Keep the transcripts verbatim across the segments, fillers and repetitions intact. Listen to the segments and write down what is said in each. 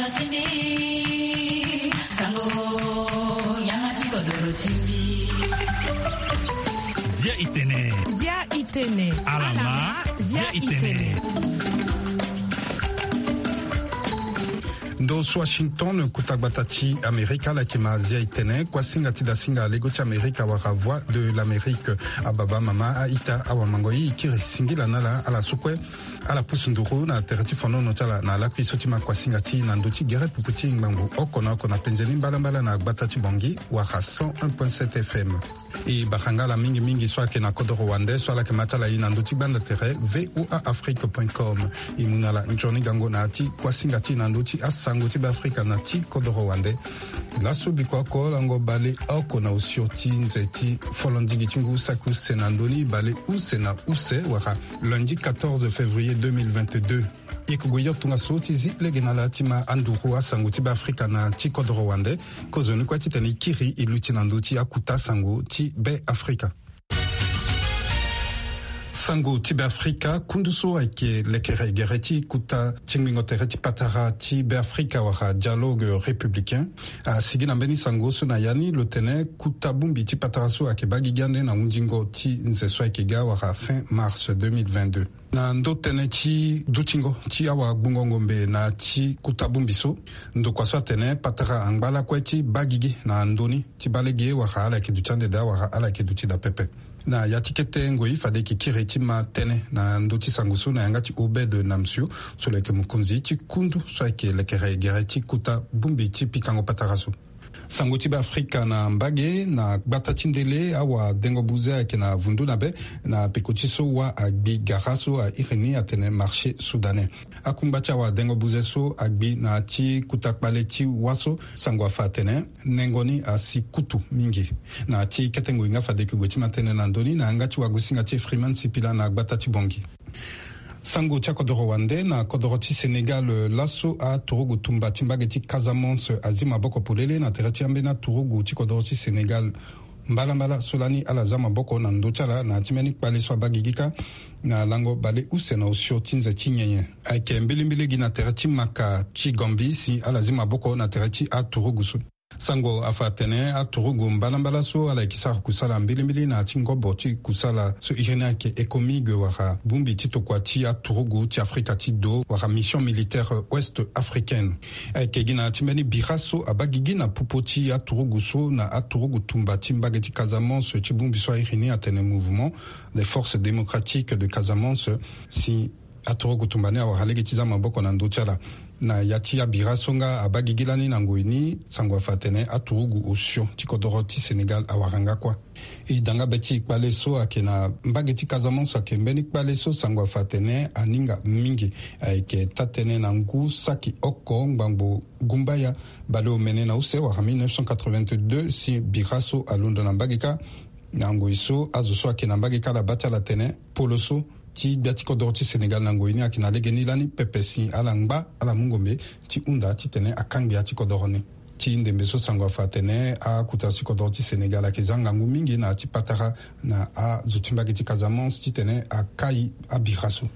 Zia itene. Zia itene. Alama. Zia itene. Ndo so Washington, kuta gbata ti Amerika, ala yeke ma zia itene. Kuasinga ti dasinga lego ti Amerika wala Voix de l'Amérique. Ababa, mama, a-ita, awamangoi, i kiri singila na ala, ala so kue ala pusu nduru na tere ti fonono ti ala na lakui so ti ma kuasinga ti na ndö ti gere pupu ti ngbangbo oko na oko na penze ni mbalambala na gbata ti Bangui wala cent un point sept F M. E bara nga ala mingi mingi so ayeke na kodoro wande so ala yeke ma ti ala ye na ndö ti gbanda tere V O A Afrique point com. E mu na ala nzoni gango na ya ti kuasinga ti na ndö ti asango ti Beafrika na ti kodoro wande. Laso bikua oko lango bale oko na osio ti nze ti folondigi ti ngu saki use na ndö ni bale use na use wala lundi quatorze février deux mille vingt-deux. E ke gue yo tongaso ti zi lege na ala ti ma anduru asango ti Beafrika na ti kodoro wande. Kozoni kue titene e kiri e luti na ndö ti akuta sango ti Beafrika. Sango ti Beafrika, kundu so ayeke lekere gere ti kuta ti ngbingo tere ti patara ti Beafrika wala Dialogue Républicain asigi na mbeni sango so na ya ni lo tene kuta bongbi ti patara so ayeke baa gigi ande na hundingo ti nze so ayeke ga wala fin mars deux mille vingt-deux. Na ndo tënë ti dutingo ti awagbungo ngombe na ti kuta bongbi so, ndokua so atene patara angba lakue ti baa gigi na ndö ni ti baa lege wala ala yeke duti ande daa wala ala yeke duti daa pepe. Na ya ti kete ngoi fade e yeke kiri ti ma tënë na ndö ti sango so na yanga ti Obed Namsio, so lo yeke mokonzi ti kundu so ayeke lekere gere ti kuta bongbi ti pikango patara so. Sango ti Beafrika na mbage na gbata ti ndele, awadengo buze ayeke na vundu na be na peko ti so wâ agbi gara so a iri ni atene marché soudanais. Akungba ti awadengo buze so agbi na ti kuta kpale ti wâ so, sango afa atene nengo ni asi kutu mingi. Na ti kete ngoi nga fade e yeke gue ti ma tënë na ndö ni na yanga ti wagosinga ti Freeman Sipila na gbata ti Bangui. Sango ti akodoro wande na kodoro ti Sénégal, eh, laso aturugu tumba ti mbage ti Casamance azi maboko polele na tere ti ambeni aturugu ti kodoro ti Sénégal. Mbalambala so lani ala za maboko na ndö ti ala na ya ti mbeni kpale so abaa gigi kâ na lango bale use na osio ti nze ti nyenye. Ayeke mbilimbili gi na tere ti maka ti Gambie si ala zi maboko na tere ti aturugu so. Sango afa atene aturugu mbalambala so ala yeke sara kusala mbilimbili na ya ti ngobo ti kusala so iri ni ayeke ECOMIG wala bongbi ti tokua ti aturugu ti Afrika ti do wala Mission Militaire Ouest Africaine. Ayeke gi na ya ti mbeni bira so abaa gigi na popo ti aturugu so na aturugu tumba ti mbage ti Casamance ti bongbi so a iri ni atene Mouvement des Forces Démocratiques de Casamance, si aturugu tumba ni awara lege ti za maboko na ndö ti ala. Na ya ti abira so nga abaa gigi lani na ngoi ni, sango afa atene aturugu osio ti kodoro ti Sénégal awara nga kuâ. E da nga be ti kpale so ayeke na mbage ti Casamance ayeke mbeni kpale so sango afa atene aninga mingi. Ayeke taa-tënë na ngu saki oko ngbangbo gumbaya baleomene na use wala mille neuf cent quatre-vingt-deux si bira so alondo na mbage kâ. Na ngoi so azo so ayeke na mbage kâ ala baa ti ala tene polo so ti gbia ti kodoro ti Sénégal na ngoi ni ayeke na legeni lani pepe si ala ngba ala mu ngombe ti hunda titene akangbi ya ti kodoro ni. Ti ndembe so sango afa atene akuta ti kodoro ti Sénégal ayeke za ngangu mingi na ya ti patara na azo ti mbage ti Casamance titene akai abira so.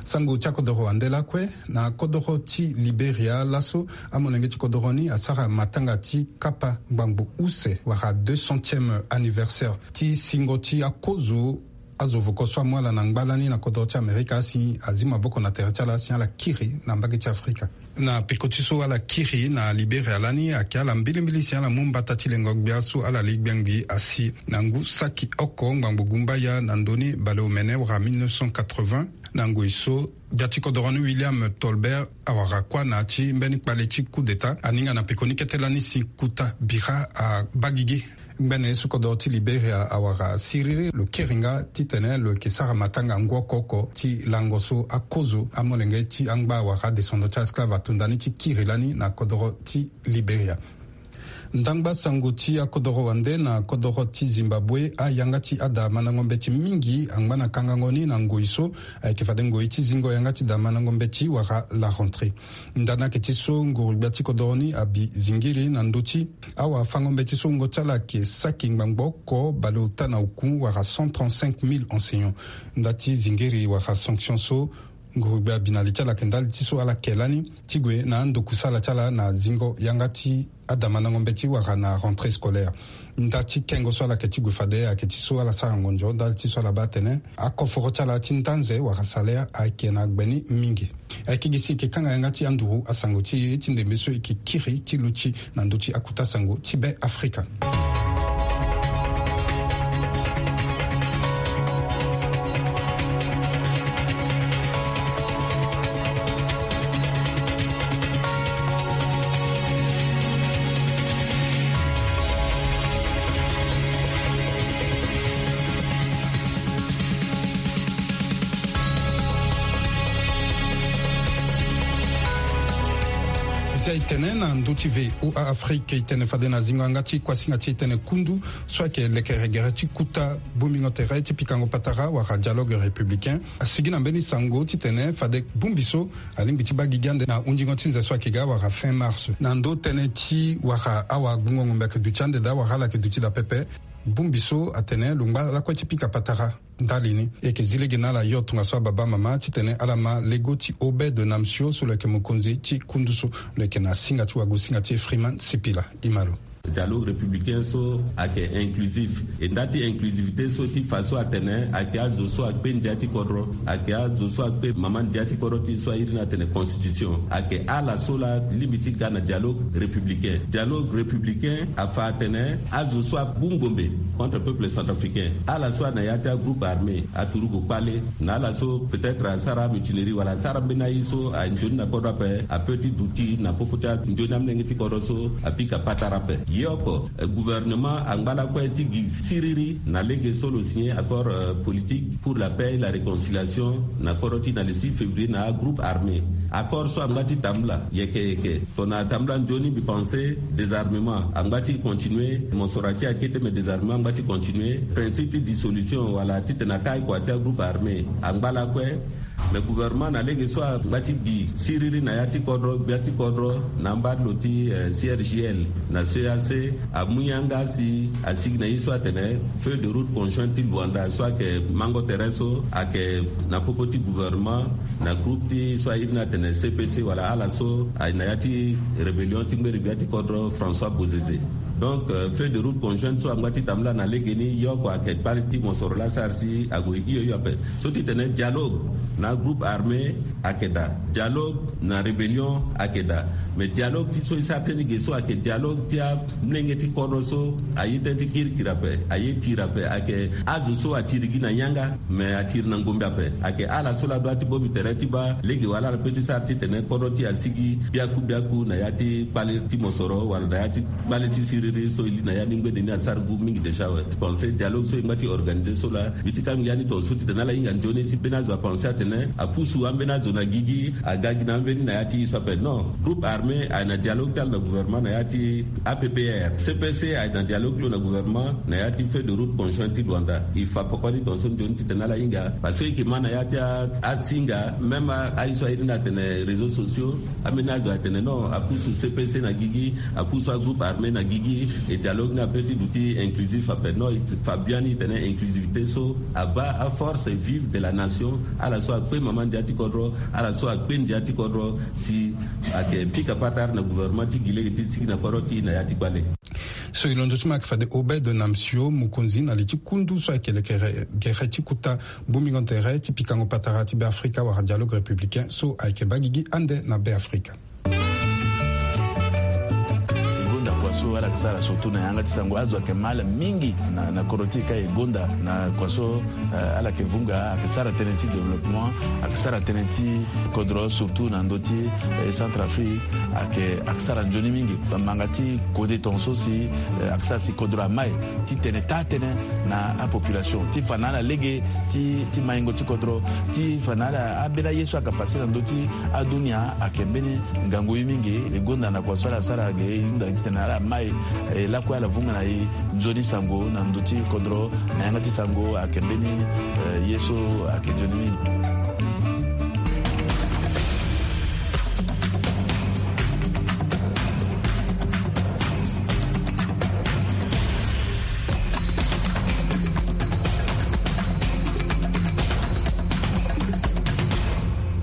Sango ti akodoro wande lakue na kodoro ti Liberia laso amolenge ti kodoro ni asara matanga ti kapa ngbangbo use wala deux centième anniversaire ti singo ti akozo azo voko so amu ala na ngba lani na kodro ti Amerika si azi maboko na tere ti ala si ala kiri na mbage ti Afrika. Na peko ti so ala kiri na Liberia lani ayeke ala mbilimbili si ala mu mbata ti lengo gbia so ala li gbengbi asi na ngu saki oko ngbangbo gumbaya na ndö ni baleomene wala mille neuf cent quatre-vingts. Na ngoi so gbia ti kodoro ni William Tolbert awara kuâ na ya ti mbeni kpale ti coup d'état aninga na peko ni kete lani si kuta bira abaa gigi. Ngbene so kodoro ti Liberia awara siriri lo kiri nga titene lo yeke sara matanga ngu oko oko ti lango so akozo amolenge ti angba wala adescendant ti aesclave ato ndani ti kiri lani na kodoro ti Liberia. Ndangba sango ti akodoro wande na kodoro ti Zimbabwe, ayanga ti ada mandango mbeti mingi angba na kangango ni na ngoi so ayeke fade ngoi ti zingo yanga ti da mandango mbeti wala la rentrée. Nda ni ayeke ti so nguru gbia ti kodoro ni abi zingiri na ndö ti awafango mbeti so wungo ti ala ayeke saki ngbangbo oko baleota na oku wala cent trente-cinq mille enseignants. Nda ti zingiri wala sanction so Ngurugbe abi na li ti ala ayeke ndali ti so ala ke lani ti gue na andokusala ti ala na zingo yanga ti adamandango mbeti wala na rentrée scolaire. Nda ti kengo so ala yeke ti gue fade ayeke ti so ala sara ngonzo ndali ti so ala baa atene akoforo ti ala ti ndanze wala salaire ayeke na gbe ni mingi. Ayeke gi si e yeke kanga yanga ti anduru asango ti e ti ndembe so e yeke kiri ti luti na ndö ti akuta sango ti Be Afrika. Si e tene na ndö ti V O A Afrique, e tene fade na zingo yanga ti kuasinga ti e tene kundu so ayeke lekere gere ti kuta bongbingo tere ti pikango patara wala dialogue républicain asigi na mbeni sango ti tene fade bongbi so alingbi ti baa gigi ande na hundingo ti nze so ayeke ga wala fin mars. Na ndö tënë ti wala awagbungo ngombe ayeke duti ande daa wala ala yeke duti daa pepe, bongbi so atene lo ngba lakue ti pika patara. Ndali ni e yeke zi lege na ala yo tongaso ababa mama titene ala ma lego ti Obed Namsio so lo yeke mokonzi ti kundu so lo yeke na singa ti wagosinga ti Freeman Sipila. E ma lo. Dialogue républicain so ayeke inclusif. E nda ti inclusivité so ti fa so atene ayeke azo so akpe ndia ti kodro, ayeke azo so akpe mama ndia ti kodro ti so a iri ni atene constitution. Ayeke ala so laa lingbi ti ga na dialogue républicain. Dialogue républicain afa atene azo so abu ngombe contre peuple centrafricain, ala so ana ya ti agroupe armé aturugu kpale, na ala so peut-être asara mutinerie wala asara mbeni aye so anzoni na kodro ape, ape ti duti na popo ti anzoni amolenge ti kodro so apika patara ape. Ye oko, eh, gouvernement angba lakue ti gi siriri na lege so lo signé accord, euh, politique pour la paix et la réconciliation na kodro ti na le six février na agroupe armé. Accord so angba ti tambula yeke yeke. Tongana atambula nzoni mbi pense désarmement angba ti continuer, mosoro ati akete, mais désarmement angba ti continuer. Principe ti dissolution wala titene akai kua ti agroupe armé angba lakue. Mais gouvernement na lege so angba ti gi siriri na ya ti kodro, gbia ti kodro, na amba ti lo ti, eh, C R G L na C E A C, amu yanga si asigi na ye so atene feuille de route conjointe ti Luanda so ayeke mango tere so ayeke na popo ti gouvernement na groupe ti so a iri ni atene C P C wala ala so aye na ya ti rébellion ti ngberi gbia ti kodro François Bozizé. Donc, euh, feuille de route conjointe so angba ti tambula na legeni, ye oko ayeke kpale ti mosoro laa asara si ague hio hio ape. So ti tene dialogue na groupe armé ayeke daa, dialogue na rébellion ayeke daa. Mais dialogue ti so e sara tënë ge so ayeke dialogue ti amolenge ti kodro so aye tënë ti kirikiri ape, aye tiri ape, ayeke azo so atiri gi na yanga, mais atiri na ngombe ape. Ayeke ala so laa dua ti bongbi tere ti baa lege wala ala pe ti sara titene kodro ti e asigi biaku biaku na ya ti kpale ti mosoro wala na ya ti kpale ti siriri so e li na ya ni ngbene ni asara ngu mingi déjà awe. Pense dialogue so e ngba ti organiser so laa mbi ti kanga ya ni tongaso titene ala hinga nzoni si mbeni azo apense atene apusu ambeni azo na gigi, aga gi na ambeni na ya ti ye so ape. Non, groupe armé aye na dialogue ti ala na gouvernement na ya ti A P P R. C P C aye na dialogue ti lo na gouvernement na ya ti feuille de route conjointe ti Luanda. E fa poko ni tongaso nzoni titene ala hinga parce que e yeke ma na ya ti a, asinga, même a, aye so a iri ni atene réseaux sociaux, ambeni azo atene non, apusu C P C na gigi, apusu agroupe armé na gigi, e dialogue ni ape ti duti inclusif ape. Non, e fa biani tene inclusivité so abaa aforce vive de la nation, ala so akpe mama ndia ti kodro, ala so akpe ndia ti kodro, si ayeke pika patara na gouvernement ti gi lege ti sigi na kodro ti e na ya ti kpale. So e londo ti mo ayeke fade Obed Namsio, mokonzi na li ti kundu so ayeke lekere gere ti kuta bongbingo tere ti pikango patara ti Be Afrika wala dialogue républicain so ayeke baa gigi ande na Be Afrika. E gonda kua so ala yeke sara surtout na yanga ti sango, azo ayeke ma ala mingi na, na kodro ti e ka e gonda na kua so, eh, ala yeke vunga, ayeke sara tënë ti développement, ayeke sara tënë ti kodro surtout na ndö ti, eh, Centrafrique, ayeke, ayeke sara nzoni mingi. Manga ti kode tongaso si, eh, ayeke sara si kodro amai titene taa tënë na apopulation ti fa na ala lege ti, ti maingo ti kodro, ti fa na ala ambeni aye so ayeke passe na ndö ti adunia ayeke mbeni ngangu ye mingi. E gonda na kua so ala sara ge e hunda titene ala mai, eh, lakue ala vunga na e nzoni sango na ndö ti kodro na yanga ti sango ayeke mbeni, eh, ye so ayeke nzoni mingi.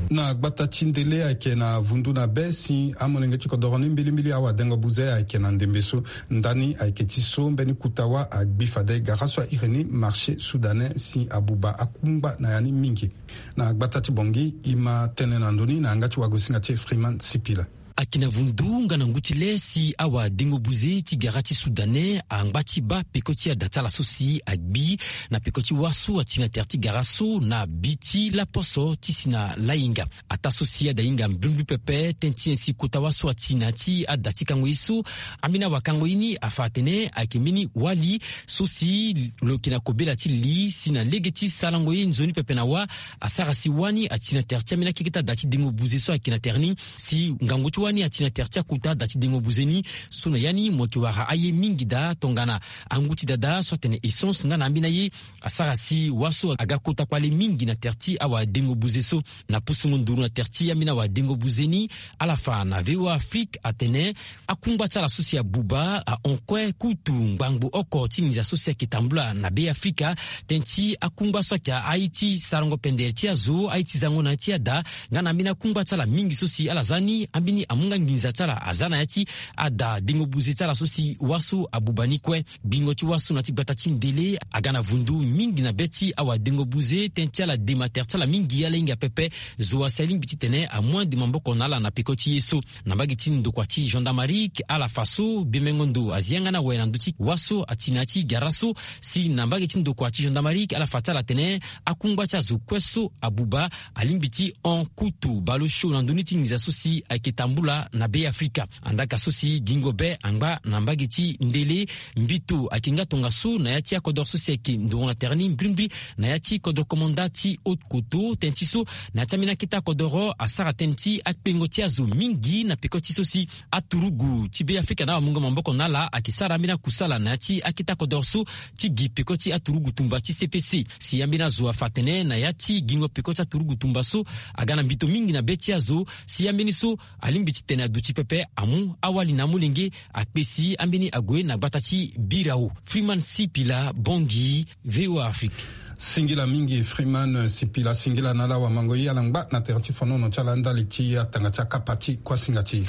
Na gbata ti ndele ayeke na vundu na be si amolenge ti kodoro ni mbilimbili awadengo buze ayeke na ndembe so. Ndani ayeke ti so mbeni kuta wa agbi fade gara so airi ni marché soudanais si abuba akungba na ya ni mingi. Na gbata ti bongi ima tene na ndoni na yanga ti wagosinga ti Freeman Sipila. Ayeke na vundu nga na ngu ti le si awadengo buze ti gara ti soudanais angba ti baa peko ti ada ti ala so si agbi na peko ti wa so ati na tere ti gara so na bi ti laposo ti si na lahinga. Ataa so si ada hinga mbrimbri pepe tënë ti nyen si kota wa so ati na ya ti ada ti kango ye so. Ambeni awakango ye ni afa atene ayeke mbeni wali so si lo yeke na kobela ti li si na lege ti sarango ye nzoni pepe na wa asara si wani ati na tere ti ambeni akeke ti ada ti dengo buze so ayeke na tere ni. Si ngangu ti wani ati na tere ti akota ada ti dengo buze ni so na ya ni mo yeke wara aye mingi daa tongana angu ti dada so atene essence nga na ambeni aye asara si wa so aga kota kpale mingi na tere ti awadengo buze so. Na pusungo nduru na tere ti ambeni awadengo buze ni ala fa na V O A Afrique atene akungba ti ala so si abuba ahon kue kutu ngbangbo oko ti nginza so si ayeke tambula na Be Afrika. Tënë ti akungba so ayeke aye ti sarango pendere ti azo, aye ti zango na ya ti ada nga na ambeni akungba ti ala mingi so si ala za ni ambeni amu nga nginza ti ala aza na ya ti ada dengo buze ti ala so si wa so abuba ni kue. Gbingo ti wa so na ya ti gbata ti ndele aga na vundu mingi na be ti awadengo buze tënë ti ala dema tere ti ala mingi ala hinga pepe. Zo asi alingbi titene amu ande maboko na ala na peko ti ye so. Na mbage ti ndokua ti gendarmerie ala fa so bemengo ndo azi yanga ni awe na ndö ti wa so ati na ya ti gara so. Si na mbage ti ndokua ti gendarmerie ala fa ti ala atene akungba ti azo kue so abuba alingbi ti hon kutu baleosio na ndö ni ti nginza so si ayeke tambula na Be Afrika. Andaka so si gingo be angba na mbage ti ndele mbito ayeke nga tongaso na ya ti akodoro so si ayeke ndongo na tere ni mbrimbri na ya ti kodoro komanda ti haute koto tënë ti so na ya ti ambeni akete akodoro asara tënë ti akpengo ti azo mingi na peko ti so si aturugu ti Be Afrika na awamungo maboko na ala ayeke sara ambeni akusala na ya ti akete akodoro so ti gi peko ti aturugu tumba ti C P C. Si ambeni azo afa atene na ya ti gingo peko ti aturugu tumba so aga na mbito mingi na be ti azo si ambeni so alingbi titene aduti pepe amu awali na amolenge akpesi ambeni ague na gbata ti birao. Freeman Sipila, Bangui, V O A Afrique. Singila mingi Freeman Sipila, singila na ala wamango ye ala ngba na tere ti fonono ti ala ndali ti atanga ti akapa ti kuasinga ti e.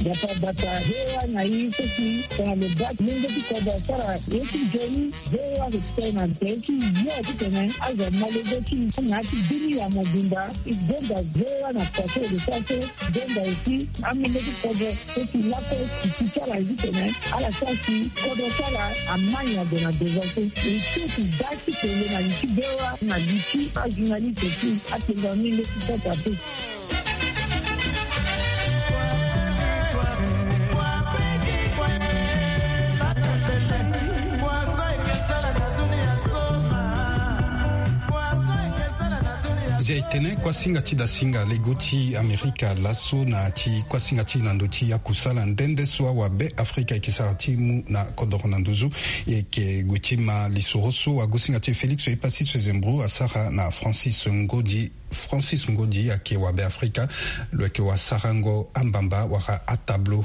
Bata bata, V O A na i so si tongana lo baa lenge ti kodro asara ye ti nzoni. V O A ayeke tene na tere ti yo titene azo amolenge ti na ya ti bini ya mobimba. E gonda V O A na poto e lo sara so. Gonda aussi amolenge ti kodro so si lakue ti ti ti ala ye titene ala sara si kodro ti ala amai na ndo na devant so. E so ti baa ti tene na li ti V O A na li ti ajournaliste ti atenda amolenge ti sasa pe. Zia e tene kuasinga ti dasinga lego ti Amerika laso na ti kuasinga ti na ndo ti akusala nde nde so awabe Afrika e yeke sara ti mu na kodoro na nduzu. E yeke gue ti ma lisoro so wagosinga ti e Félix Epassi Sezembro asara na Francis Ngodi. Francis Ngodi ayeke wabe Afrika, lo yeke wasarango ambamba wala atableau.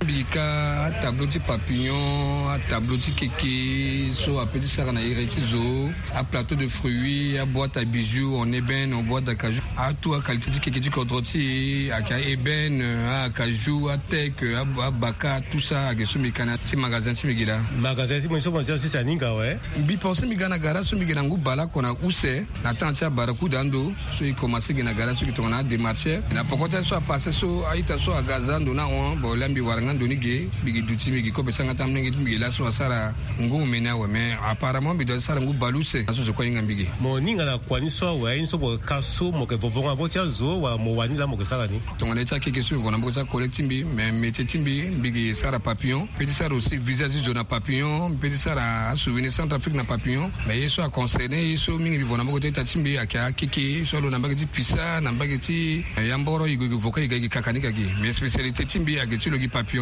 Mbi ka atableau ti papillon, atableau ti keke so ape ti sara na iri ti zo, aplateau de fruits, aboîte à bijoux en ébène, en boîte d'acajou, atout aqualité ti keke ti kodro ti e ayeke aébène, acajou, ateke, abaka, tout ça ayeke so mbi ka na ti magasin ti mbi gi laa. Magasin ti mbi so mo zi sisa ni nga awe. Mbi pense mbi ga na gara so mbi gi na ngu baleoko na use. Na temps ti abarakuda ando so e commencé ge na gara so e ke tongana ademarcheur na poko ti aye so apassé so a-ita so aga aza ando ni ahon. Bon la mbi wara nga ndo ni ge, mbi gi duti mbi gi kobe sara nga ti amolenge ti mbi ge laso asara ngu omeni awe. Mais apparemment mbi doit ti sara ngu baleuse na so zo kue ahinga mbi ge. Mo ninga na kua ni so awe, aye ni so mo ka so mo yeke vovo nga na maboko ti azo wala mo wani laa mo yeke sara ni? Tongana ye ti akeke so mbi vo na maboko ti acollègue ti mbi, mais métier ti mbi mbi gi sara papillon. Mbi pe ti sara aussi visa ti zo na papillon, mbi pe ti sara asouvenir Centrafrique na papillon. Mais ye so aconcerné ye so mingi mbi vo na maboko ti a-ita ti mbi ayeke akeke so alo na mbage ti pisa na mbage ti yamboro, e gue e gue vo kue e ga e gi kaka ni kaki. Mais spécialité ti mbi ayeke ti lo gi papillon.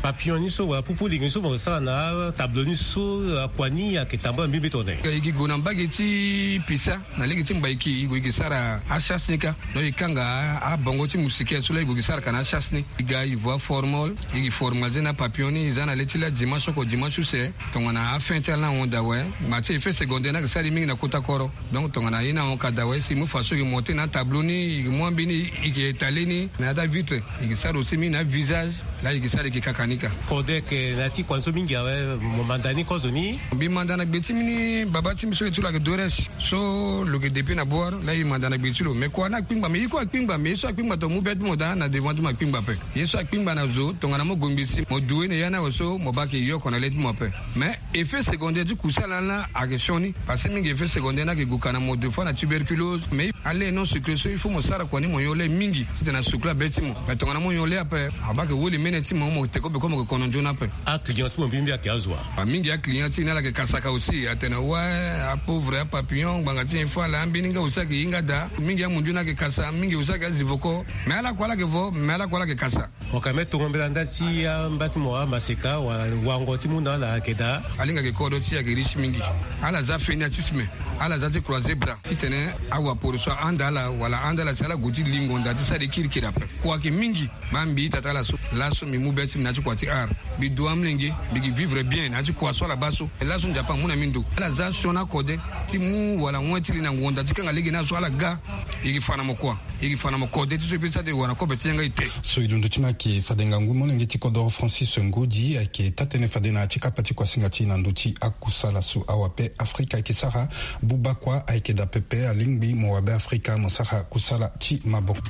Papillon ni so wala pupu lingi so mo sara na tableau ni so, akua ni ayeke tambula mbi mbi tongana nyen? E gi gue na mbage ti pisa na lege ti mbaiki, e gue e gi sara achasse ni kâ. Donc e kanga abongo ti moustiquaire so la e gue e gi sara ka na achasse ni. E ga e vo aformol, e gi formaliser na papillon ni, e za na le ti la dimanche oko dimanche use. Tongana afin ti ala ni ahon daa awe. Ma ti effet secondaire ni ayeke sara e mingi na kota koro. Donc tongana ye ni ahon ka daa awe, si e mu façon e gi monter na atableau ni, e gi mu ambeni, e gi étaler ni na ya ti avitre. E gi sara aussi mingi na avisage. La e gi sara e gi kaka ni kâ. Kode ayeke na ya ti kua ni so mingi awe, mo manda ni kozoni? Mbi manda na gbe ti mbi ni, baba ti mbi so e ti lo ayeke Doresh. So lo yeke depuis na bor, la e manda na gbe ti lo. Mais kua ni akpingba, mais ye kue akpingba, mais ye so akpingba tongana mu be ti mo daa na devant ti mo akpingba ape. Ye so akpingba na zo, tongana mo gue ngbe si mo du ye na ya ni awe so, mo baa ayeke yoko na le ti mo ape. Mais effet secondaire ti kusala ni la ayeke sioni. Parce que mingi effet secondaire ni ayeke gue ka na mo, des fois na tuberculose. Mais a lait non sucré so il faut mo sara kua ni mo nyon lait mingi titene a sucré abe ti mo. Mais tongana mo nyon lait ape, abaa ayeke woli mene ti mo, mo te kobe ko mo yeke kono nzoni ape. Aclient ti mo mbi mbi ayeke azo wa? Mingi aclient ti e ni ala yeke kasaka aussi, atene ouais, apauvre, apapillon, ngbanga ti nyen fâ ala, ambeni nga aussi ayeke hinga daa. Mingi amundu ni ayeke kasa, mingi aussi ayeke azivoko. Mais ala kue ala yeke vo, mais ala kue ala yeke kasa. Mo ka me tongo mbela nda ti amba ti mo amaseka wala wango ti mu na ala ayeke daa? Alingbi ayeke kodro ti e ayeke riche mingi. Ala za fainéantisme, ala za ti croiser bras titene awaporo so ahanda ala wala ahanda ala si ala gue ti lingo nda ti sara e kirikiri ape. Kua ayeke mingi. Baa mbi ita ti ala so, laso mbi mu be ti mbi na ya ti kua ti art. Mbi du amolenge, mbi gi vivre bien na ya ti kua so ala baa so. Laso Nzapa amu na mbi ndo. Ala za sioni akode ti mu wala wen ti li na ngonda ti kanga lege ni aso ala ga. E gi fa na mo kua. E gi fa na mo kode ti so e peut ti sara tene e wara na kobe ti yanga ete. So e londo ti mbi ayeke fade ngangu molenge ti kodoro Francis Ngodi ayeke taa-tënë fade na ya ti kapa ti kuasinga ti e na ndö ti akusala so. Awape Afrika ayeke sara buba kua ayeke daa pepe, alingbi mo wabe Afrika mo sara kusala ti maboko.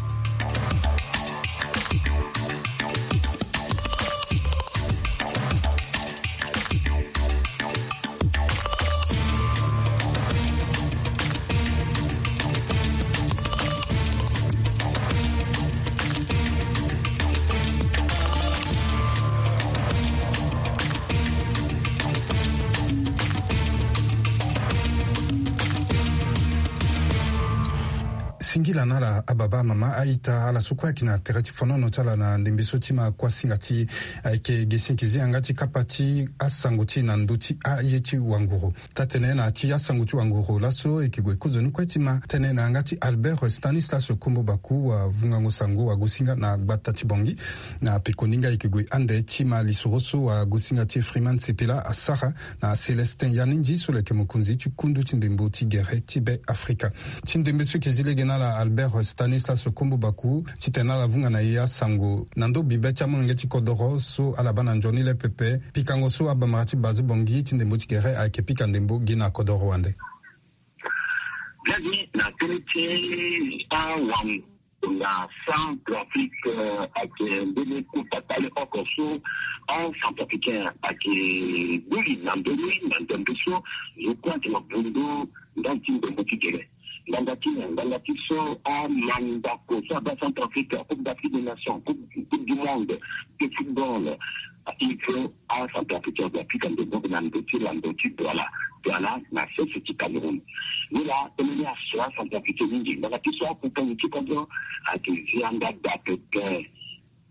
Singila na ala ababa, amama, a-ita, ala so kue ayeke na tere ti fonono ti ala na ndembe so ti ma kuasinga ti e ayeke ge si e yeke zi yanga ti kapa ti asango ti e na ndö ti aye ti wanguru. Taa-tënë na ya ti asango ti wanguru laso e yeke gue kozoni kue ti ma tënë na yanga ti Albert Stanislas Kombo Baku, wavungango sango, wagosinga na gbata ti Bangui. Na pekoni nga e yeke gue ande ti ma lisoro so wagosinga ti e Freeman Sipila asara na Célestin Yanindji so lo yeke mokonzi ti kundu ti ndembo ti gere ti Be Afrika. Ti ndembe so e yeke zi lege na ala Albert Stanislas Kombo Baku titene ala vunga na e asango na ndo bibe ti amolenge ti kodoro so ala baa na nzoni le pepe. Pikango so abamara ti base Bangui ti ndembo ti gere ayeke pika ndembo gi na kodoro wande. Biani na tënë ti awango na Centrafrique, eh, ayeke mbeni kota kpale oko so aCentrafricain ayeke gbu li na ndö ni na ndembe so. Zo kue ayeke na bundu ndali ti ndembo ti gere. Ngbanga ti nyen? Ngbanga ti so amandako so abaa Centrafrique, Coupe d'Afrique des Nations, Coupe, Coupe du Monde de football, il faut aCentrafricain ague apika ndembo na ndö ti lando ti Douala, Douala na sese ti Cameroun. Ni laa tënë ni aso aCentrafricain mingi. Ngbanga ti so akuta nyen ti kodro ayeke zi anda daa pepe.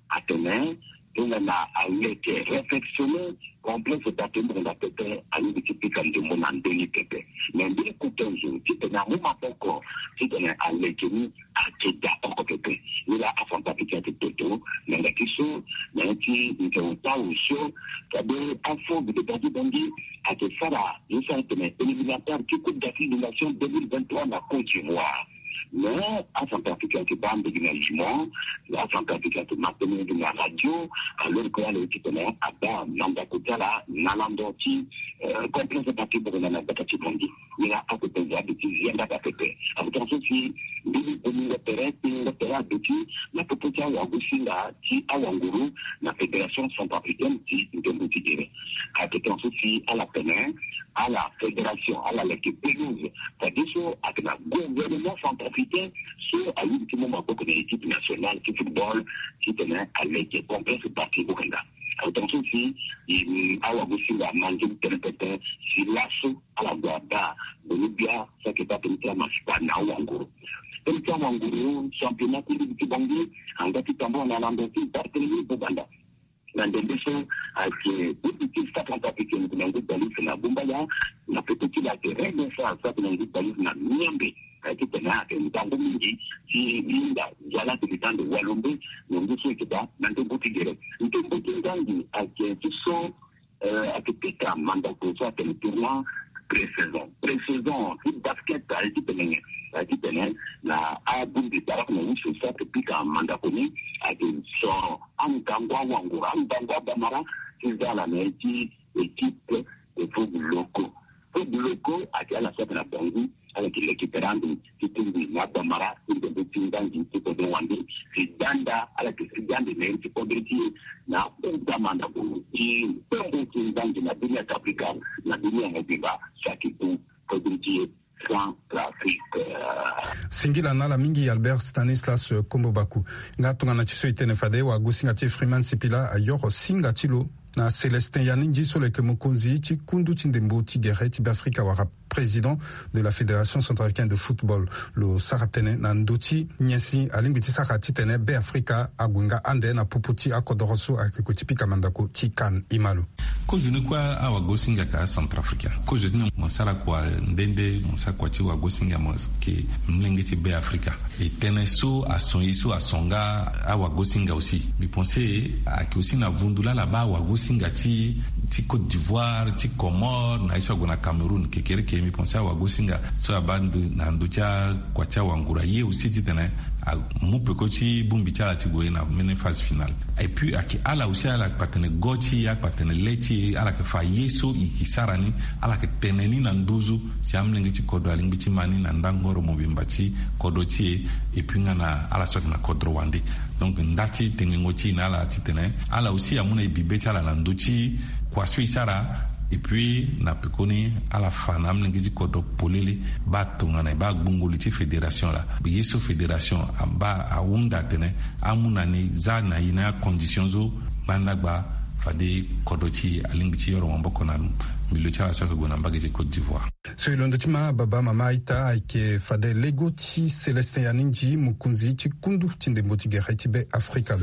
Atene tongana aleke réflexionner, complexe daa ti mbongo daa pepe, alingbi ti pika ndembo na ndö ni pepe. Me mbeni kota zo titene amu maboko titene aleke ni ayeke daa oko pepe. Ni laa aCentrafricain ayeke toto na nda ti so na ya ti nze ota so fade afo gede bagi Bangui ayeke sara ye so atene éliminatoire ti Coupe d'Afrique des Nations deux mille vingt-trois na Côte d'Ivoire. Mais aCentrafricain ayeke baa mbegi na jument, aCentrafricain ayeke ma tënë na radio, alors que ala ye titene abaa mandako ti ala na lando ti, eh, complexe daa ti mbongo na gbata ti Bangui. Ni laa akota zo aduti zi yanga daa pepe. Akotonga so si mbeni bomingo tere, kpingo tere aduti na popo ti awagosinga ti awanguru na Fédération Centrafricaine ti ndembo ti gere. Akotonga so si ala tene ala fédération, ala leke pelouse. Fadeso ayeke na gouvernement centrafricain so alingbi ti mu maboko na équipe nationale ti football titene aleke complexe daa ti bokenda. Akotonga so si, mm, awagosinga amange ni tënë pepe si laso ala gue abaa boni bia so ayeke baa tënë ti amasipa na awanguru. Tënë ti awanguru, championnat ti ligue ti Bangui angba ti tambula na lando ti Barthélemy Boganda. Na ndembe so ayeke député sara centrafricaine na ngu balise na Bombaya, na peko ti la ayeke rende sa sara na ngu balise na Miombe. Ayeke tene ayeke ndangu mingi ti linda yala ti litando walombe na ngu so eke daa na ndembo ti gere. Ndembo ti ngangi ayeke ti so, eh, ayeke pika mandako so atene tournoi pré-saison. Pré-saison ti basket aye ti tene, aye ti tene na abongbi barak na usu so ayeke pika mandako ni ayeke soro angangu awanguru, angangu abamara ti za ala na ye ti équipe de Fogo Loko. Fogo Loko ayeke ala so ayeke na Bangui, ala yeke leke tere ande ti tingbi na abamara ti ndembo ti ngangi ti kodro wande. Si danda ala yeke si dande na iri ti kodro ti e na akota mandako ti ngbongo ti ngangi na dunia ti Afrika, na dunia mobimba, si ayeke ku kodro ti e Centrafrique. Singila na ala mingi Albert Stanislas Kombo Baku. Nga tongana ti so e tene fade wagosinga ti e Freeman Sipila ayoro singa ti lo na Célestin Yanindji so lo yeke mokonzi ti kundu ti ndembo ti gere ti Beafrika wala président de la Fédération centrafricaine de football. Lo sara tënë na ndö ti nyen si alingbi ti sara titene Beafrika ague nga ande na popo ti akodoro so ayeke gue ti pika mandako ti CAN. E ma lo. Kozo ni kue awagosinga ka acentrafricain. Kozo ni mo sara kua nde nde, mo sara kua ti wagosinga, mo yeke molenge ti Beafrika. E tënë so ason ye so ason nga awagosinga aussi. Mbi pense ayeke aussi na vundu laa ala baa awagosinga ti, ti Côte d'Ivoire, ti Comores, na ye so ague na Cameroun kekereke. Mbi pense awagosinga so abaa ndo, na ndö ti akua ti awanguru aye aussi titene amu peko ti bongbi ti ala ti gue na mbeni phase finale. Et puis ayeke ala aussi ala yeke kpa tene go ti e, ala yeke kpa tene le ti e, ala yeke fa ye so e yeke sara ni, ala yeke tene ni na nduzu si amolenge ti kodro alingbi ti ma ni na ndangoro mobimba ti kodro ti e. Et puis nga na ala so ayeke na kodro wande. Donc nda ti tengengo ti e na ala titene ala aussi amu na e bibe ti ala na ndö ti kua so e sara. Et puis na pekoni ala fa na amolenge ti kodro polele baa tongana e baa gbungo li ti fédération laa. Ye so fédération abaa ahunda atene amu na ni za na e na acondition so ngbanda gba fade kodro ti e alingbi ti yoro maboko na milieu ti ala so ayeke gue na mbage ti Côte d'Ivoire. So e londo ti ma baba mama a-ita ayeke fade lego ti Célestin Yanindji, mokonzi ti kundu ti ndembo ti gere ti Beafrika.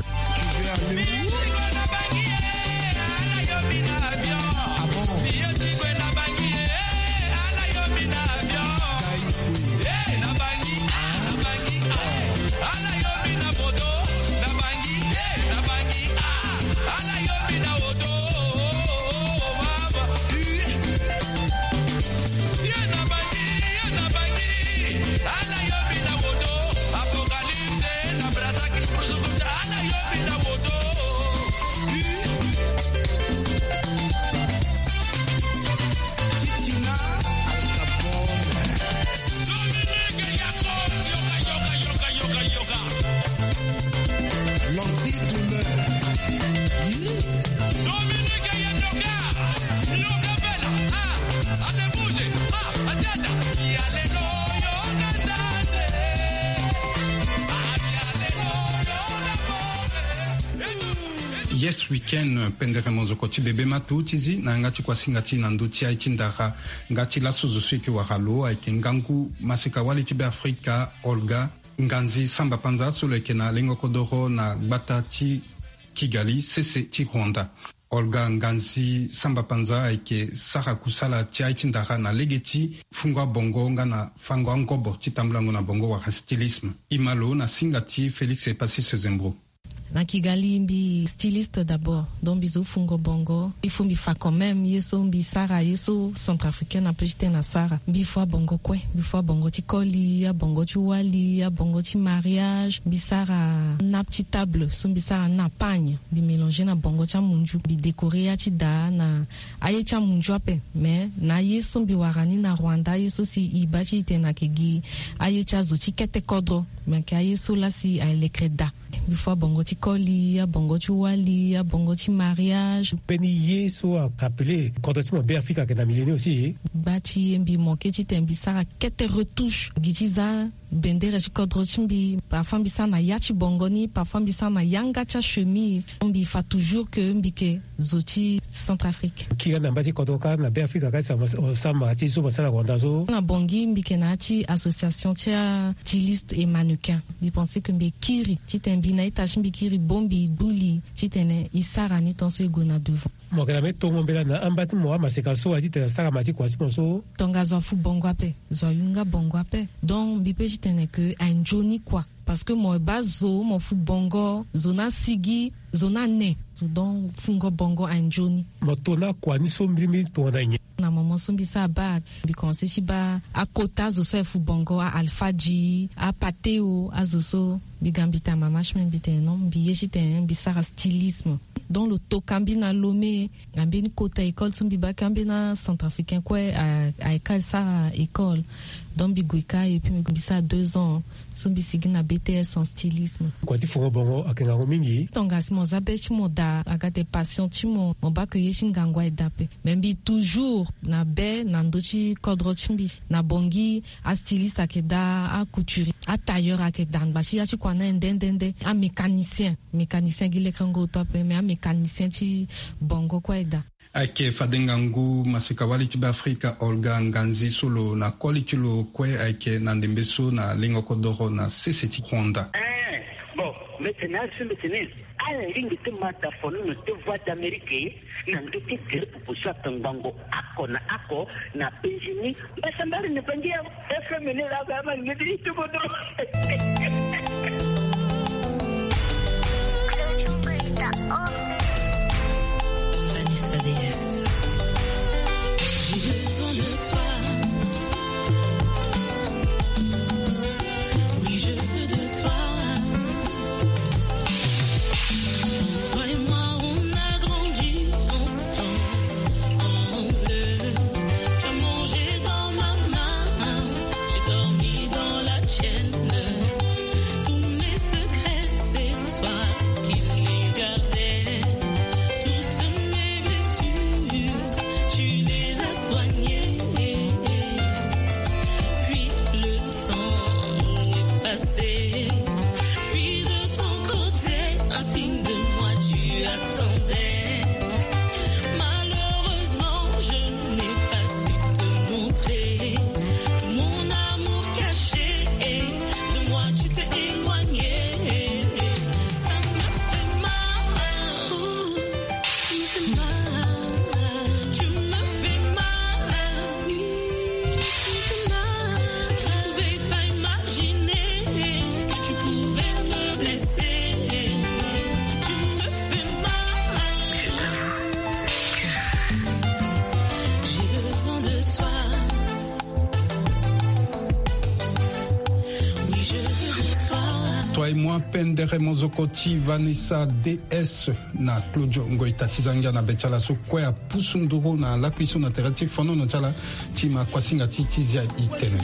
Yes Weekend, pendere monzoko ti bebe matu ti zi na yanga ti kuasinga ti na ndö ti aye ti ndara. Nga ti laso zo so e yeke wara lo ayeke ngangu maseka-wali ti Beafrika, Olga Nganzi Samba Panza, so lo yeke na lengo kodoro na gbata ti Kigali, sese ti Rwanda. Olga Nganzi Samba Panza ayeke sara kusala ti aye ti ndara na lege ti fungo abongo nga na fango angobo ti tambulango na bongo wala stylisme. E ma lo na singa ti Félix Epasis Zembro. Na Kigali mbi styliste d'abord, donc mbi zo fungo bongo. Il faut mbi fa quand même ye so mbi sara, ye so centrafricaine ape ti tene asara. Mbi fua bongo kue, mbi fua bongo ti koli, abongo ti wali, abongo ti mariage. Mbi sara nappe ti table so mbi sara na pagne. Mbi mélanger na bongo ti amunzu. Mbi décorer ya ti daa na aye ti amunzu ape. Mais na aye so mbi wara ni na Rwanda, aye so si e baa ti e tene ayeke gi aye ti azo ti kete kodro. Me ayeke aye so laa si alekere daa. Mbi fua bongo ti koli, abongo ti wali, abongo ti mariage. Mbeni ye so a rappeler kodro ti mo Beafrika ayeke na milieu ni aussi. Gba ti ye mbi manquer titene mbi sara kete retouche gi ti za bendere ti kodro ti mbi. Parfois mbi sara na ya ti bongo ni, parfois mbi sara na yanga ti achemise. Mbi fa toujours que mbi yeke zo ti Centrafrique. Kiri na mba ti kodro kâ na Beafrika kâ ti sama, sama ti zo mo sara na Rwanda so. Na Bangui mbi yeke na ya ti association ti a styliste et mannequin. Mbi pense que mbi kiri titene Mbi na ita ti mbi kiri bo mbi gbu li titene e sara ni tongaso e gue na devant. Mo yeke na mbeni tongo mbela na amba ti mo amaseka so aye titene asara ma ti kua ti mo so. Tongaso afu bongo ape, zo ayunga bongo ape. Donc mbi pe titene ke aye nzoni kua. Parce que mo baa zo mo fu bongo, zo ni asigi, zo ni ane. Zo donc fungo bongo aye nzoni. Mo to na kua ni so mbilimbili tongana nyen? Na moment so mbi sara bac, mbi commence ti baa akota azo so aye fu bongo, a alfadji, apateo, azo so. Mbi ga mbi tene mama ti mbi, mbi tene non, mbi ye titene mbi sara stylisme. Donc lo toka mbi na Lomé, na mbeni kota école so mbi baa ke ambeni acentrafricain kue a, ayeke sara école. Donc mbi gue kâ et puis mbi sara deux ans. So mbi sigi na B T S en stylisme. Kua ti fungo bongo ayeke ngangu mingi. Tongana si mo za be ti mo daa, aga ate passion ti mo, mo baa ke ye ti ngangu aye daa ape. Mais mbi toujours na be na ndö ti kodro ti mbi. Na Bangui, astyliste ayeke daa, acouturier, atailleur ayeke daa, ngba ti ya ti kua ni aye nde nde nde. Amécanicien, mécanicien gi lekerengo oto ape, mais amécanicien ti bongo kue aye daa. Ayeke fade ngangu maseka-wali ti Beafrika Olga Nganzi so lo na koli ti lo kue ayeke na ndembe so na lengo kodoro na sese ti Rwanda. Eh, bon, mbeti na azo so mbeti ni. Ala lingbi ti ma daa fonono ti Voix d'Amérique na ndö ti gere pupu so atongbango oko na oko na penzi ni. Mbasambari ni bangi ya F M ni la ga ma ngedi ti bodo. Vanessa D S. J'ai besoin de toi. Oui, je veux de toi. Toi et moi, on a grandi ensemble. Tu as mangé dans ma main, j'ai dormi dans la tienne. Tous mes secrets, c'est toi qui les gardais. Toutes mes blessures, tu les as soignées. Puis le temps est passé. Puis de ton côté, un signe de moi tu attendais. Malheureusement, je n'ai pas su te montrer tout mon amour caché. De moi, tu t'es éloigné. Ça me fait mal. Tu me fais mal, oui, tu me fais mal. Je pouvais pas imaginer que tu pouvais me blesser. Tu me fais mal. J'ai besoin de toi. Oui, je veux de toi. Toi et moi, pendere mozoko ti Vanessa D S. Na Claudio Ngoita ti Zangia na be ti ala so kue apusu nduru na lakui so na tere ti fonono ti ala ti ma kuasinga ti ti zia itene.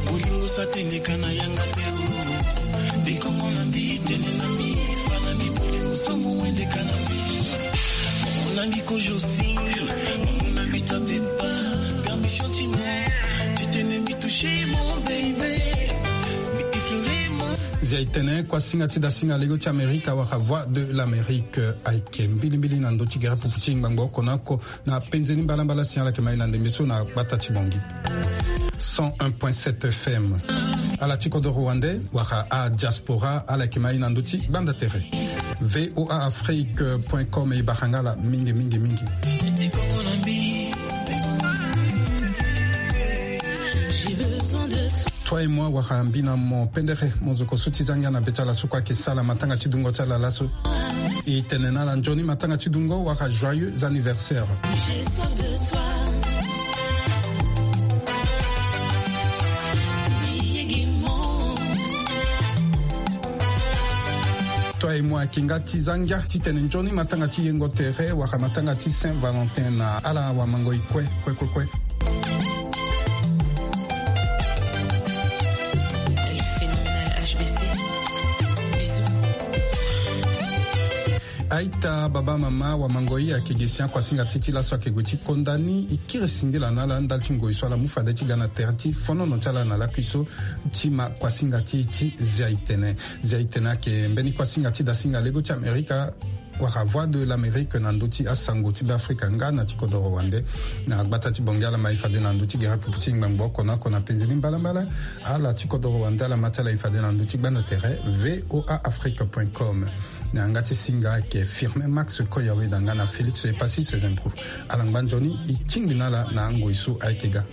Bolingo sa tene kana yanga te o. Bikongo na mbi tene na mbi, fa na mbi bolingo so mo wende kana mbi. Mo na mbi kojo singil, mo na mbi tape pa, permission ti mo, ti tene mbi toucher mon baby, mbi effleurer mon. Zia itene kuasinga ti dasinga lego ti Amerika wala Voix de l'Amérique, eh, ayeke mbilimbili na ndö ti gere pupu ti ngbangbo oko na oko na penze ni mbalambala si ala yeke ma e na ndembe so na gbata ti Bangui. Cent un point sept F M. Ala ti kodoro wande wala adiaspora ala yeke ma e na ndö ti gbanda tere. V O A Afrique point com e bara nga ala mingi, mingi, mingi. Toi et moi wala mbi na mo pendere mozoko so ti Zangia na be ti ala so kue ayeke sala matanga ti dungo ti ala laso. E tene na ala nzoni matanga ti dungo wala joyeux anniversaire. J'ai soif de toi. Toi et moi ayeke nga ti Zangia titene nzoni matanga ti yengo tere wala matanga ti Saint Valentin na ala wamangoi kue, kue, kue, kue. Le phénoménal H B C. Bisous. Aita, baba, mama, wamangoi, ayeke ge si akuasinga ti e ti laso ayeke gue ti konda ni. E kiri singila na ala ndali ti ngoi so ala mu fade ti ga na tere ti fonono ti ala na lakui so ti ma kuasinga ti e ti zia itene. Zia itene ayeke mbeni kuasinga ti dasinga lego ti Amerika. wala Voix de l'Amérique na ndö ti asango ti Beafrika nga na ti kodoro wande. Na gbata ti Bongi ala ma e fade na ndö ti gere pupu ti ngbangbo oko na oko na penze ni mbalambala. Ala ti kodoro wande ala ma ti ala e fade na ndö ti gbanda tere V O A Afrique point com. Na yanga ti singa ayeke Firmin Max Koyawe na nga na Félix Epassis Sezembro. Ala ngba nzoni e tingbi na ala na angoi so ayeke ga.